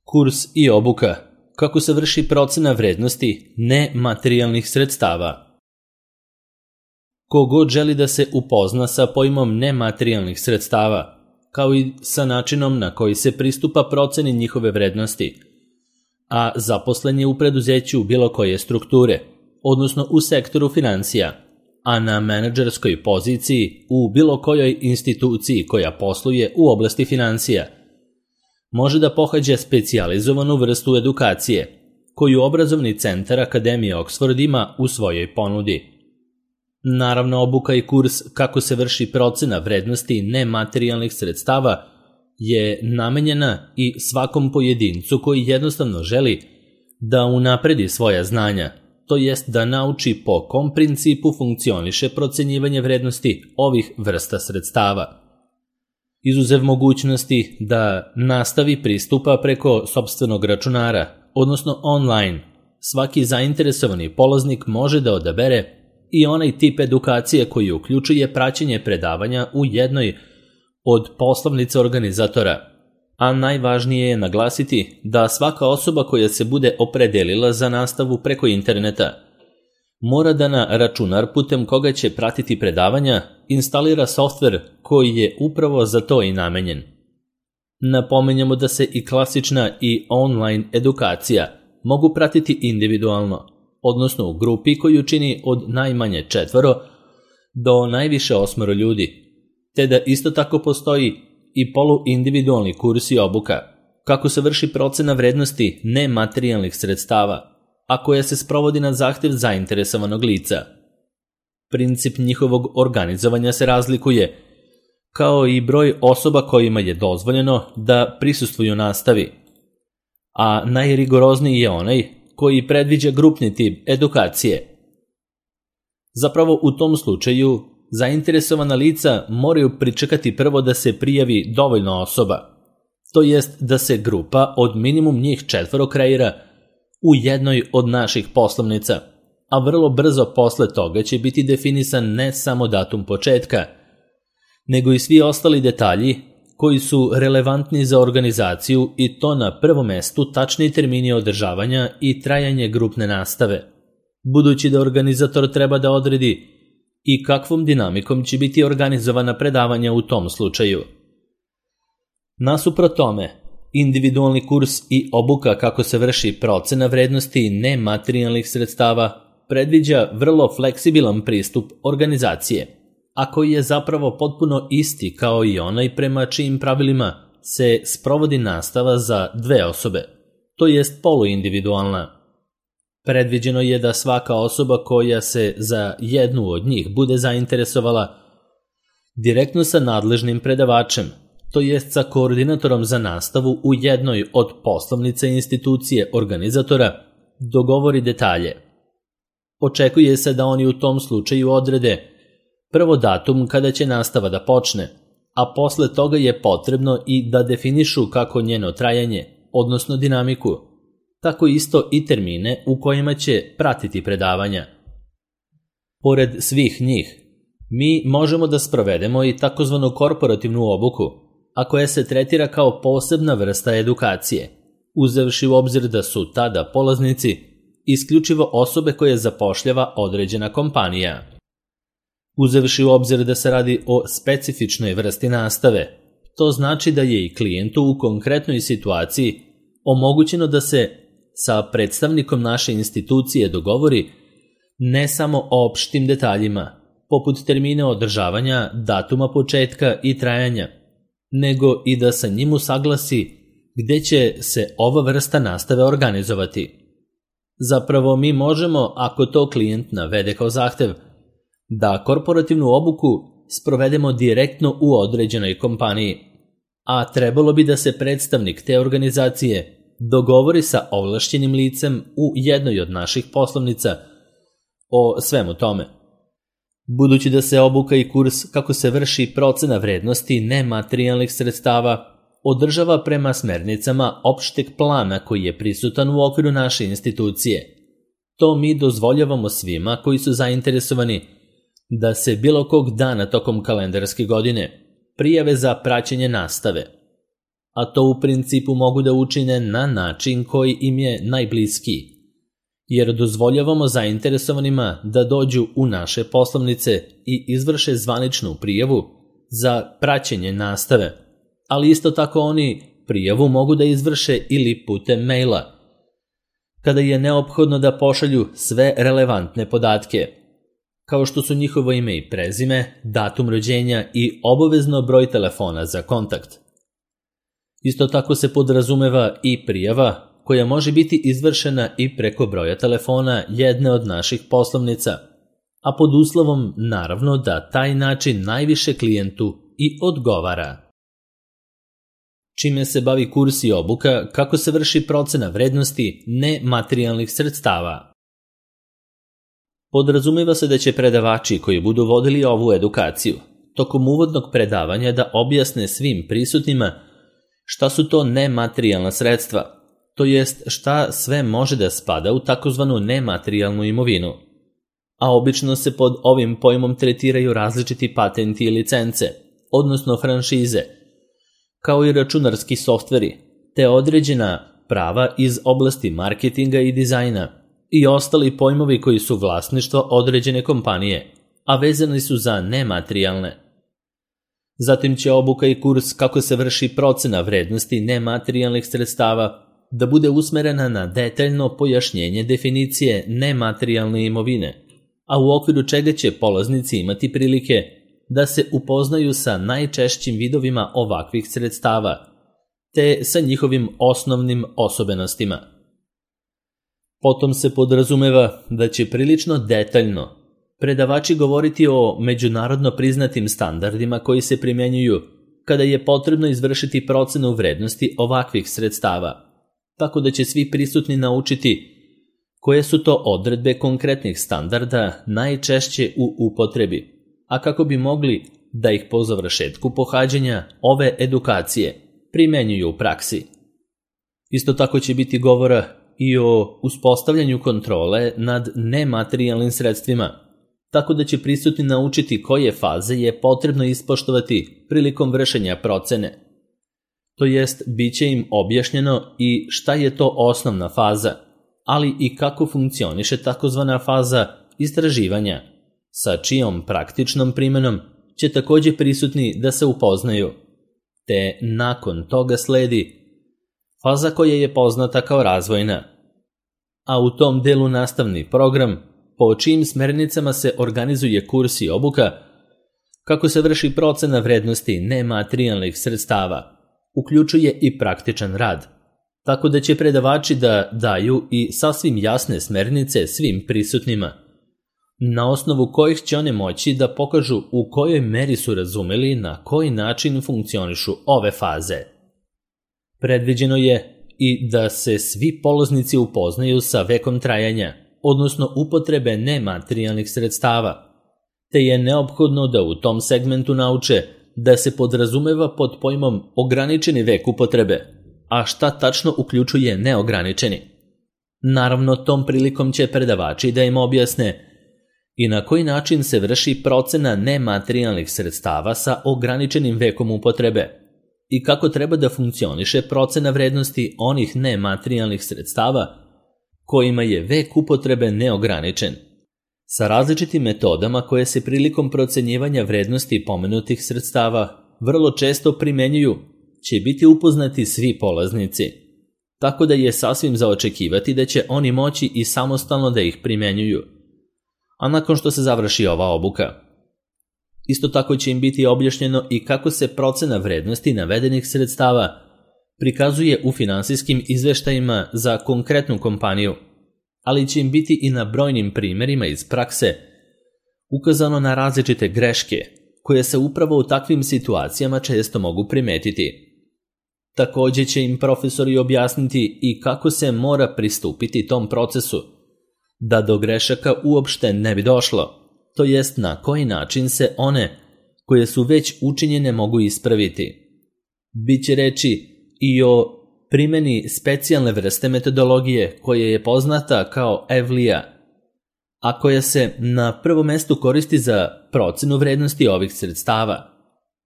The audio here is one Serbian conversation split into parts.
Kurs i obuka. Kako se vrši procena vrednosti nematerijalnih sredstava? Ko god želi da se upozna sa pojmom nematerijalnih sredstava, kao i sa načinom na koji se pristupa proceni njihove vrednosti, a zaposlen je u preduzeću bilo koje strukture, odnosno u sektoru finansija, a na menadžerskoj poziciji u bilo kojoj instituciji koja posluje u oblasti finansija, može da pohađa specijalizovanu vrstu edukacije, koju obrazovni centar Akademije Oxford ima u svojoj ponudi. Naravno, obuka i kurs kako se vrši procena vrednosti nematerijalnih sredstava je namenjena i svakom pojedincu koji jednostavno želi da unapredi svoja znanja, to jest da nauči po kom principu funkcioniše procenjivanje vrednosti ovih vrsta sredstava. Izuzev mogućnosti da nastavi pristupa preko sopstvenog računara, odnosno online, svaki zainteresovani polaznik može da odabere i onaj tip edukacije koji uključuje praćenje predavanja u jednoj od poslovnica organizatora. A najvažnije je naglasiti da svaka osoba koja se bude opredelila za nastavu preko interneta mora da na računar putem koga će pratiti predavanja instalira softver koji je upravo za to i namenjen. Napomenjamo da se i klasična i online edukacija mogu pratiti individualno, odnosno u grupi koju čini od najmanje 4 do najviše 8 ljudi, te da isto tako postoji i poluindividualni kurs i obuka, kako se vrši procena vrednosti nematerijalnih sredstava, a koja se sprovodi na zahtev zainteresovanog lica. Princip njihovog organizovanja se razlikuje, kao i broj osoba kojima je dozvoljeno da prisustvuju nastavi, a najrigorozniji je onaj koji predviđa grupni tip edukacije. Zapravo u tom slučaju zainteresovana lica moraju pričekati prvo da se prijavi dovoljno osoba, to jest da se grupa od minimum njih 4 kreira u jednoj od naših poslovnica, a vrlo brzo posle toga će biti definisan ne samo datum početka, nego i svi ostali detalji koji su relevantni za organizaciju i to na prvom mestu tačni termini održavanja i trajanje grupne nastave, budući da organizator treba da odredi i kakvom dinamikom će biti organizovana predavanja u tom slučaju. Nasuprot tome, individualni kurs i obuka kako se vrši procena vrednosti nematerijalnih sredstava predviđa vrlo fleksibilan pristup organizacije, a koji je zapravo potpuno isti kao i onaj prema čijim pravilima se sprovodi nastava za 2 osobe, to jest poluindividualna. Predviđeno je da svaka osoba koja se za jednu od njih bude zainteresovala direktno sa nadležnim predavačem, to jest sa koordinatorom za nastavu u jednoj od poslovnica institucije organizatora, dogovori detalje. Očekuje se da oni u tom slučaju odrede prvo datum kada će nastava da počne, a posle toga je potrebno i da definišu kako njeno trajanje, odnosno dinamiku, tako isto i termine u kojima će pratiti predavanja. Pored svih njih, mi možemo da sprovedemo i takozvanu korporativnu obuku, a koja se tretira kao posebna vrsta edukacije, uzevši u obzir da su tada polaznici isključivo osobe koje zapošljava određena kompanija. Uzevši u obzir da se radi o specifičnoj vrsti nastave, to znači da je i klijentu u konkretnoj situaciji omogućeno da se sa predstavnikom naše institucije dogovori ne samo o opštim detaljima, poput termina održavanja, datuma početka i trajanja, nego i da sa njim usaglasi gde će se ova vrsta nastave organizovati. Zapravo mi možemo, ako to klijent navede kao zahtev, da korporativnu obuku sprovedemo direktno u određenoj kompaniji, a trebalo bi da se predstavnik te organizacije dogovori sa ovlašćenim licem u jednoj od naših poslovnica o svemu tome. Budući da se obuka i kurs kako se vrši procena vrednosti nematerijalnih sredstava održava prema smernicama opšteg plana koji je prisutan u okviru naše institucije, to mi dozvoljavamo svima koji su zainteresovani da se bilo kog dana tokom kalendarske godine prijave za praćenje nastave. a to u principu mogu da učine na način koji im je najbliskiji, jer dozvoljavamo zainteresovanima da dođu u naše poslovnice i izvrše zvaničnu prijavu za praćenje nastave, ali isto tako oni prijavu mogu da izvrše ili putem maila, kada je neophodno da pošalju sve relevantne podatke, kao što su njihovo ime i prezime, datum rođenja i obavezno broj telefona za kontakt. Isto tako se podrazumeva i prijava koja može biti izvršena i preko broja telefona jedne od naših poslovnica, a pod uslovom naravno da taj način najviše klijentu i odgovara. Čime se bavi kurs i obuka kako se vrši procena vrednosti nematerijalnih sredstava. Podrazumeva se da će predavači koji budu vodili ovu edukaciju tokom uvodnog predavanja da objasne svim prisutnima šta su to nematerijalna sredstva, to jest šta sve može da spada u takozvanu nematerijalnu imovinu, a obično se pod ovim pojmom tretiraju različiti patenti i licence, odnosno franšize, kao i računarski softveri, te određena prava iz oblasti marketinga i dizajna i ostali pojmovi koji su vlasništvo određene kompanije, a vezani su za nematerijalne. Zatim će obuka i kurs kako se vrši procena vrednosti nematerijalnih sredstava da bude usmerena na detaljno pojašnjenje definicije nematerijalne imovine, a u okviru čega će polaznici imati prilike da se upoznaju sa najčešćim vidovima ovakvih sredstava, te sa njihovim osnovnim osobenostima. Potom se podrazumeva da će prilično detaljno predavači govoriti o međunarodno priznatim standardima koji se primjenjuju kada je potrebno izvršiti procenu vrednosti ovakvih sredstava, tako da će svi prisutni naučiti koje su to odredbe konkretnih standarda najčešće u upotrebi, a kako bi mogli da ih po završetku pohađanja ove edukacije primenjuju u praksi. Isto tako će biti govora i o uspostavljanju kontrole nad nematerijalnim sredstvima, tako da će prisutni naučiti koje faze je potrebno ispoštovati prilikom vršenja procene. To jest, bit će im objašnjeno i šta je to osnovna faza, ali i kako funkcioniše takozvana faza istraživanja, sa čijom praktičnom primenom će također prisutni da se upoznaju, te nakon toga sledi faza koja je poznata kao razvojna, a u tom delu nastavni program po čijim smernicama se organizuje kurs i obuka kako se vrši procena vrednosti nematerijalnih sredstava, uključuje i praktičan rad, tako da će predavači da daju i sasvim jasne smernice svim prisutnima, na osnovu kojih će one moći da pokažu u kojoj meri su razumeli na koji način funkcionišu ove faze. Predviđeno je i da se svi polaznici upoznaju sa vekom trajanja, odnosno upotrebe nematerijalnih sredstava, te je neophodno da u tom segmentu nauče da se podrazumeva pod pojmom ograničeni vek upotrebe, a šta tačno uključuje neograničeni. Naravno, tom prilikom će predavači da im objasne i na koji način se vrši procena nematerijalnih sredstava sa ograničenim vekom upotrebe i kako treba da funkcioniše procena vrednosti onih nematerijalnih sredstava kojima je vek upotrebe neograničen, sa različitim metodama koje se prilikom procenjivanja vrednosti pomenutih sredstava vrlo često primenjuju, će biti upoznati svi polaznici, tako da je sasvim za očekivati da će oni moći i samostalno da ih primenjuju, a nakon što se završi ova obuka. Isto tako će im biti objašnjeno i kako se procena vrednosti navedenih sredstava prikazuje u finansijskim izveštajima za konkretnu kompaniju, ali će im biti i na brojnim primjerima iz prakse ukazano na različite greške koje se upravo u takvim situacijama često mogu primetiti. Također će im profesori objasniti i kako se mora pristupiti tom procesu, da do grešaka uopšte ne bi došlo, to jest na koji način se one koje su već učinjene mogu ispraviti. Biće reči i o primjeni specijalne vrste metodologije koja je poznata kao EVLIA, a koja se na prvom mjestu koristi za procenu vrednosti ovih sredstava,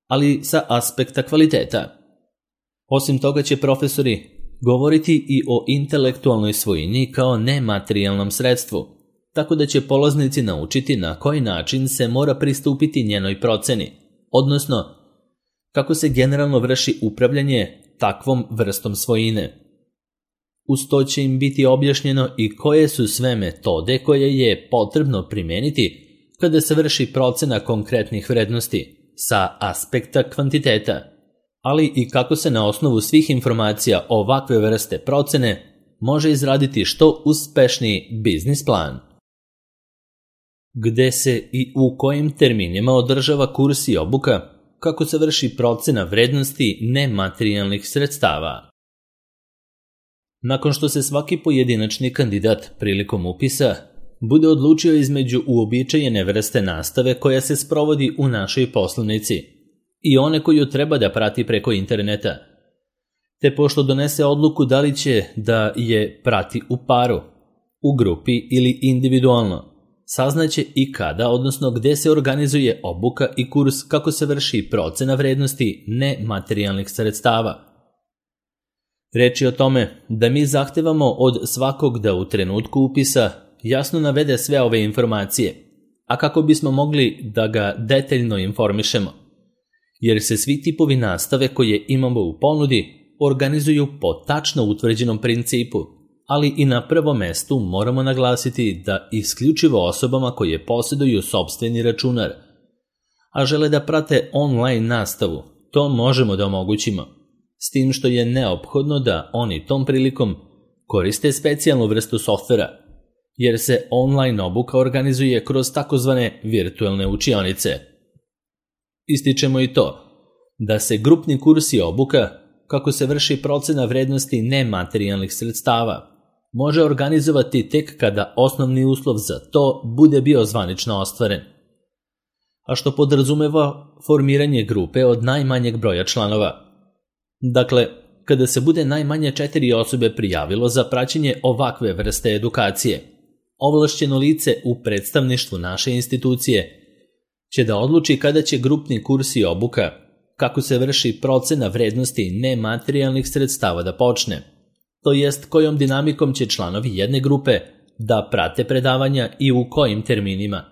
ali sa aspekta kvaliteta. Osim toga će profesori govoriti i o intelektualnoj svojini kao nematerijalnom sredstvu, tako da će polaznici naučiti na koji način se mora pristupiti njenoj proceni, odnosno kako se generalno vrši upravljanje takvom vrstom svojine. Uz to će im biti objašnjeno i koje su sve metode koje je potrebno primeniti kada se vrši procena konkretnih vrednosti sa aspekta kvantiteta, ali i kako se na osnovu svih informacija ovakve vrste procene može izraditi što uspešniji biznis plan. Gde se i u kojim terminima održava kurs i obuka, kako se vrši procena vrednosti nematerijalnih sredstava. Nakon što se svaki pojedinačni kandidat prilikom upisa bude odlučio između uobičajene vrste nastave koja se sprovodi u našoj poslovnici i one koju treba da prati preko interneta, te pošto donese odluku da li će da je prati u paru, u grupi ili individualno, saznaće i kada, odnosno gde se organizuje obuka i kurs, kako se vrši procena vrednosti nematerijalnih sredstava. Reč je o tome da mi zahtevamo od svakog da u trenutku upisa jasno navede sve ove informacije, a kako bismo mogli da ga detaljno informišemo, jer se svi tipovi nastave koje imamo u ponudi organizuju po tačno utvrđenom principu, ali i na prvom mestu moramo naglasiti da isključivo osobama koje posjeduju sopstveni računar, a žele da prate online nastavu, to možemo da omogućimo, s tim što je neophodno da oni tom prilikom koriste specijalnu vrstu softvera, jer se online obuka organizuje kroz takozvane virtualne učionice. Ističemo i to da se grupni kurs i obuka, kako se vrši procena vrednosti nematerijalnih sredstava, može organizovati tek kada osnovni uslov za to bude bio zvanično ostvaren, a što podrazumeva formiranje grupe od najmanjeg broja članova. Dakle, kada se bude najmanje 4 osobe prijavilo za praćenje ovakve vrste edukacije, ovlašćeno lice u predstavništvu naše institucije će da odluči kada će grupni kurs i obuka, kako se vrši procena vrednosti nematerijalnih sredstava da počne, to jest kojom dinamikom će članovi jedne grupe da prate predavanja i u kojim terminima.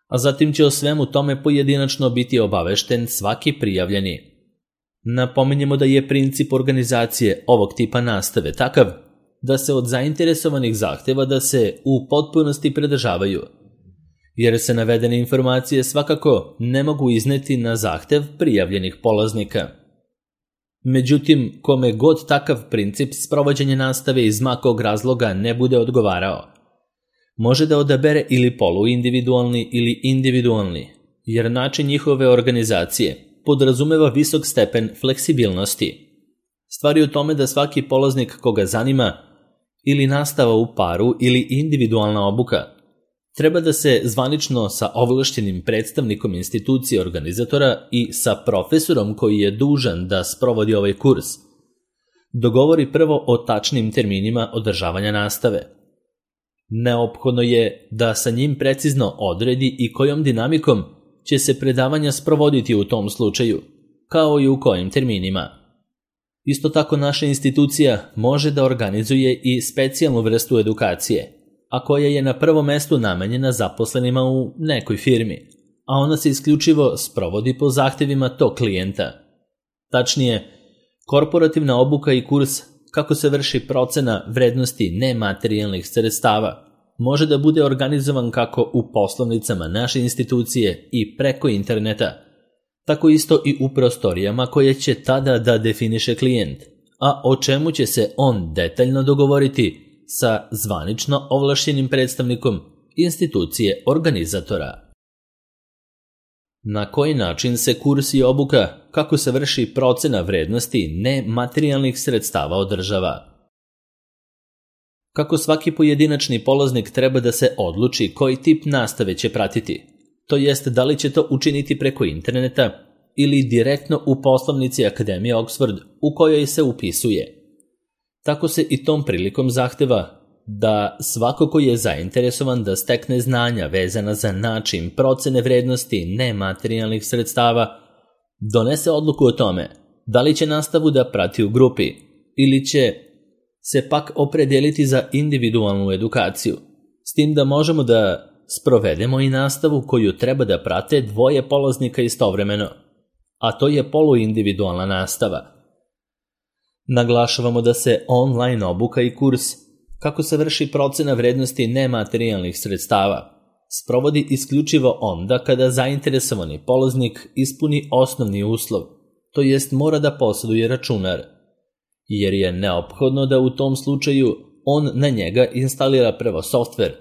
A zatim će o svemu tome pojedinačno biti obavešten svaki prijavljeni. Napominjemo da je princip organizacije ovog tipa nastave takav da se od zainteresovanih zahteva da se u potpunosti pridržavaju, jer se navedene informacije svakako ne mogu izneti na zahtev prijavljenih polaznika. Međutim, kome god takav princip sprovođenja nastave iz makog razloga ne bude odgovarao, može da odabere ili poluindividualni ili individualni, jer način njihove organizacije podrazumeva visok stepen fleksibilnosti. Stvar je u tome da svaki polaznik koga zanima ili nastava u paru ili individualna obuka treba da se zvanično sa ovlašćenim predstavnikom institucije organizatora i sa profesorom koji je dužan da sprovodi ovaj kurs dogovori prvo o tačnim terminima održavanja nastave. Neophodno je da sa njim precizno odredi i kojom dinamikom će se predavanja sprovoditi u tom slučaju, kao i u kojim terminima. Isto tako naša institucija može da organizuje i specijalnu vrstu edukacije, a koja je na prvom mestu namenjena zaposlenima u nekoj firmi, a ona se isključivo sprovodi po zahtevima tog klijenta. Tačnije, korporativna obuka i kurs kako se vrši procena vrednosti nematerijalnih sredstava može da bude organizovan kako u poslovnicama naše institucije i preko interneta, tako isto i u prostorijama koje će tada da definiše klijent, a o čemu će se on detaljno dogovoriti sa zvanično ovlašćenim predstavnikom institucije organizatora. Na koji način se kurs i obuka, kako se vrši procena vrednosti nematerijalnih sredstava održava? Kako svaki pojedinačni polaznik treba da se odluči koji tip nastave će pratiti, to jest da li će to učiniti preko interneta ili direktno u poslovnici Akademije Oxford u kojoj se upisuje. Tako se i tom prilikom zahteva da svako ko je zainteresovan da stekne znanja vezana za način procene vrednosti nematerijalnih sredstava donese odluku o tome da li će nastavu da prati u grupi ili će se pak opredijeliti za individualnu edukaciju, s tim da možemo da sprovedemo i nastavu koju treba da prate dvoje polaznika istovremeno, a to je poluindividualna nastava. Naglašavamo da se online obuka i kurs kako se vrši procena vrednosti nematerijalnih sredstava sprovodi isključivo onda kada zainteresovani polaznik ispuni osnovni uslov, to jest mora da posjeduje računar, jer je neophodno da u tom slučaju on na njega instalira prvo softver,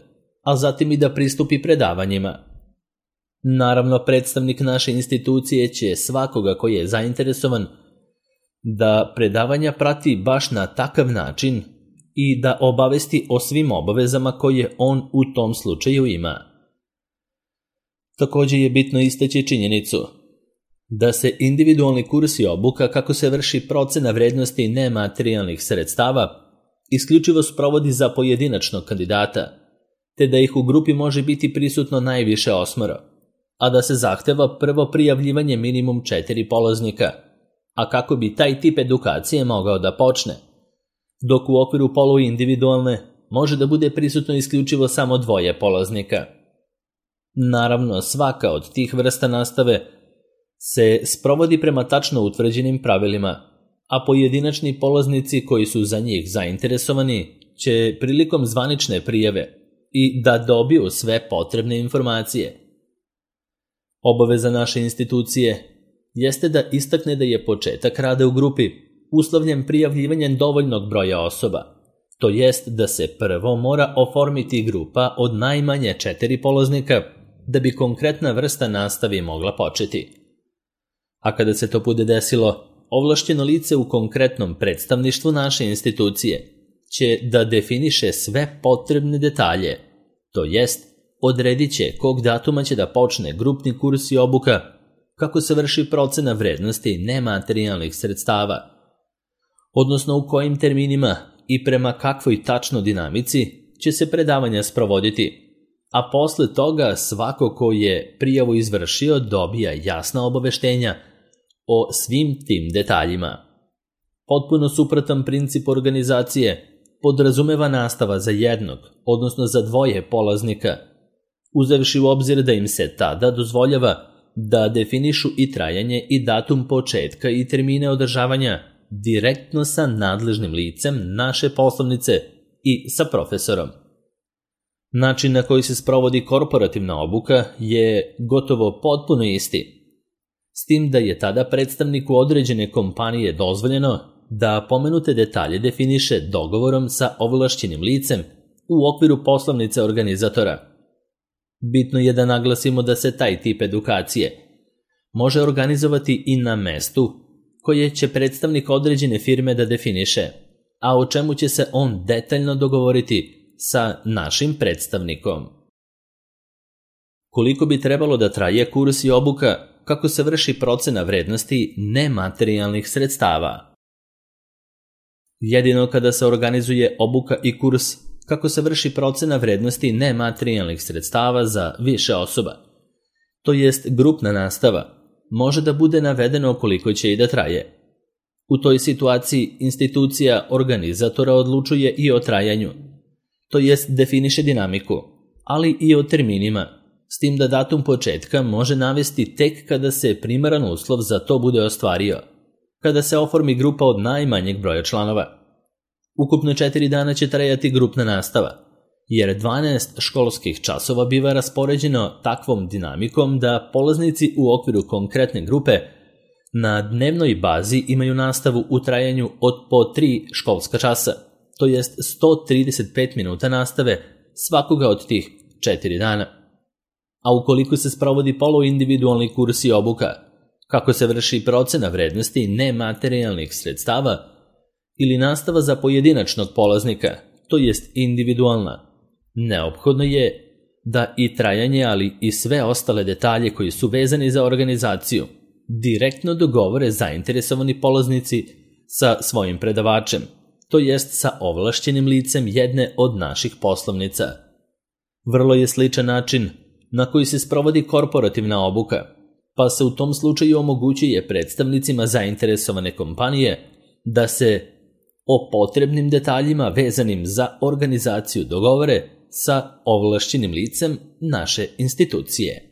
a zatim i da pristupi predavanjima. Naravno, predstavnik naše institucije će svakoga koji je zainteresovan da predavanja prati baš na takav način i da obavesti o svim obavezama koje on u tom slučaju ima. Također je bitno istaći činjenicu da se individualni kurs i obuka kako se vrši procena vrednosti nematerijalnih sredstava isključivo sprovodi za pojedinačnog kandidata, te da ih u grupi može biti prisutno najviše 8, a da se zahteva prvo prijavljivanje minimum 4 polaznika, a kako bi taj tip edukacije mogao da počne, dok u okviru poluindividualne može da bude prisutno isključivo samo 2 polaznika. Naravno, svaka od tih vrsta nastave se sprovodi prema tačno utvrđenim pravilima, a pojedinačni polaznici koji su za njih zainteresovani će prilikom zvanične prijave i da dobiju sve potrebne informacije. Obaveza naše institucije jeste da istakne da je početak rada u grupi uslovljen prijavljivanjem dovoljnog broja osoba, to jest da se prvo mora oformiti grupa od najmanje 4 polaznika da bi konkretna vrsta nastave mogla početi. A kada se to bude desilo, ovlašćeno lice u konkretnom predstavništvu naše institucije će da definiše sve potrebne detalje, to jest odredit će kog datuma će da počne grupni kurs i obuka, kako se vrši procena vrednosti nematerijalnih sredstava, odnosno u kojim terminima i prema kakvoj tačno dinamici će se predavanja sprovoditi, a posle toga svako ko je prijavu izvršio dobija jasna obaveštenja o svim tim detaljima. Potpuno suprotan princip organizacije podrazumeva nastava za jednog, odnosno za 2 polaznika, uzevši u obzir da im se tada dozvoljava da definišu i trajanje i datum početka i termine održavanja direktno sa nadležnim licem naše poslovnice i sa profesorom. Način na koji se sprovodi korporativna obuka je gotovo potpuno isti, s tim da je tada predstavniku određene kompanije dozvoljeno da pomenute detalje definiše dogovorom sa ovlašćenim licem u okviru poslovnice organizatora. Bitno je da naglasimo da se taj tip edukacije može organizovati i na mestu koje će predstavnik određene firme da definiše, a o čemu će se on detaljno dogovoriti sa našim predstavnikom. Koliko bi trebalo da traje kurs i obuka kako se vrši procena vrednosti nematerijalnih sredstava? Jedino kada se organizuje obuka i kurs kako se vrši procena vrednosti nematerijalnih sredstava za više osoba, to jest grupna nastava, može da bude navedeno koliko će i da traje. U toj situaciji institucija organizatora odlučuje i o trajanju, to jest definiše dinamiku, ali i o terminima, s tim da datum početka može navesti tek kada se primaran uslov za to bude ostvario, kada se oformi grupa od najmanjeg broja članova. Ukupno 4 dana će trajati grupna nastava, jer 12 školskih časova biva raspoređeno takvom dinamikom da polaznici u okviru konkretne grupe na dnevnoj bazi imaju nastavu u trajanju od po 3 školska časa, to jest 135 minuta nastave svakoga od tih 4 dana. A ukoliko se sprovodi poluindividualni kurs i obuka, kako se vrši procena vrednosti nematerijalnih sredstava ili nastava za pojedinačnog polaznika, to jest individualna, neophodno je da i trajanje, ali i sve ostale detalje koji su vezani za organizaciju direktno dogovore zainteresovani polaznici sa svojim predavačem, to jest sa ovlašćenim licem jedne od naših poslovnica. Vrlo je sličan način na koji se sprovodi korporativna obuka, pa se u tom slučaju omogućuje predstavnicima zainteresovane kompanije da se o potrebnim detaljima vezanim za organizaciju dogovore sa ovlašćenim licem naše institucije.